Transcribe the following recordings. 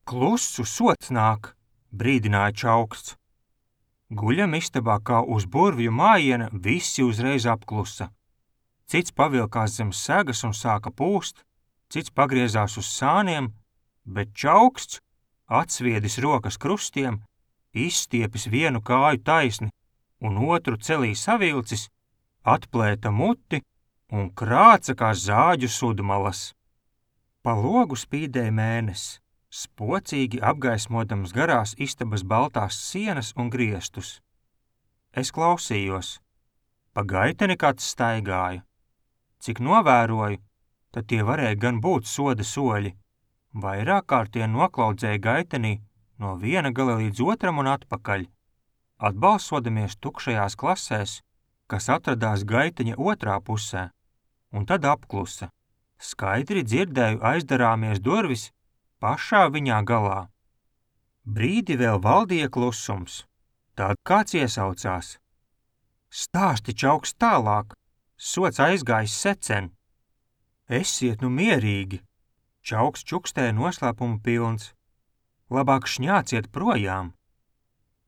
Klusu sots nāk, brīdināja Čauksts. Guļam istabā kā uz burvju mājiena, visi uzreiz apklusa. Cits pavilkās zem segas un sāka pūst, cits pagriezās uz sāniem, bet Čauksts, atsviedis rokas krustiem, izstiepis vienu kāju taisni un otru celī savilcis, atplēta muti un krāca kā zāģu sudmalas. Pa logu spīdēja mēnesis, spocīgi apgaismodams garās istabas baltās sienas un griestus. Es klausījos. Pa gaiteni kāds staigāja. Cik novēroju, tad tie varēja gan būt soda soļi. Vairāk kārt tie noklaudzēja gaitenī no viena gala līdz otram un atpakaļ, atbalsodamies tukšajās klasēs, kas atradās gaiteņa otrā pusē, un tad apklusa. Skaidri dzirdēju aizdarāmies durvis pašā viņā galā. Brīdi vēl valdīja klusums, tad kāds iesaucās. Stāsti, Čauksts, tālāk, sots aizgājis secen. Esiet nu mierīgi, Čauksts čukstēja noslēpumu pilns. Labāk šņāciet projām.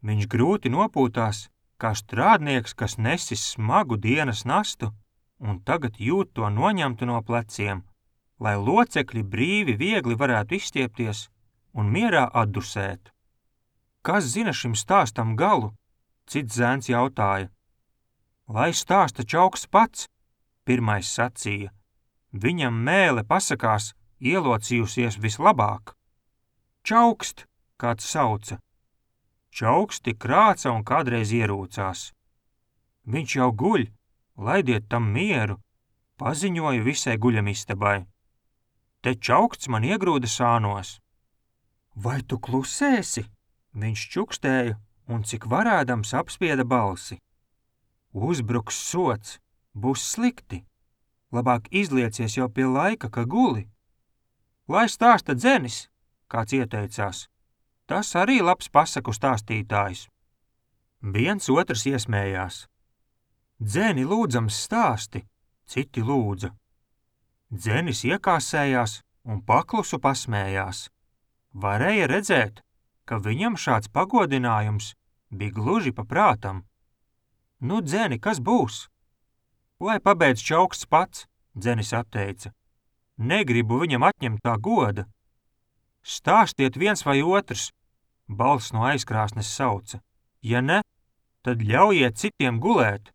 Viņš grūti nopūtās, kā strādnieks, kas nesis smagu dienas nastu, un tagad jūt to noņemtu no pleciem, lai locekļi brīvi viegli varētu izstiepties un mierā atdusēt. Kas zina šim stāstam galu? Cits zēns jautāja. Lai stāsta Čauksts pats, pirmais sacīja. Viņam mēle pasakās ielocījusies vislabāk. Čaukst, kāds sauca. Čauksti krāca un kādreiz ierūcās. Viņš jau guļ, laidiet tam mieru, paziņoju visai guļamistabai. Te Čauksts man iegrūda sānos. Vai tu klusēsi? Viņš čukstēja un cik varēdams apspieda balsi. Uzbruks sots, būs slikti. Labāk izliecies jau pie laika, ka guli. Lai stāsta Dzenis, kāds ieteicās. Tas arī labs pasaku stāstītājs. Viens otrs iesmējās. Dzeni lūdzams stāsti, citi lūdza. Dzenis iekāsējās un paklusu pasmējās. Varēja redzēt, ka viņam šāds pagodinājums bija gluži pa prātam. Nu, Dzeni, kas būs? Lai pabeidz Čauksts pats, Dzenis atteica. Negribu viņam atņemt tā goda. Stāstiet viens vai otrs, balss no aizkrāsnes sauca. Ja ne, tad ļaujiet citiem gulēt.